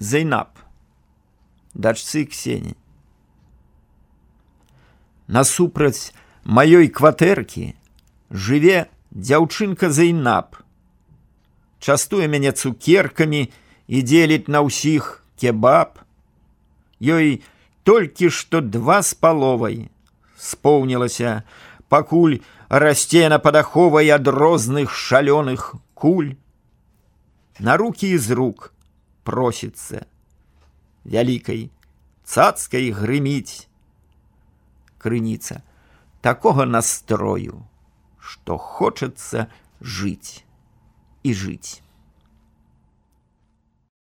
Зайнаб, дачцы Ксені. Насупраць маёй кватэркі жыве дзяўчынка Зайнаб. Частуе мяне цукеркамі і дзеліць на ўсіх кебаб. Ёй толькі што 2,5 споўнілася, пакуль расце на падаховай ад розных шалёных куль. На рукі з рук просіцца, вялікай цацкай грыміць. Крыніца такога настрою, што хочацца жыць і жыць.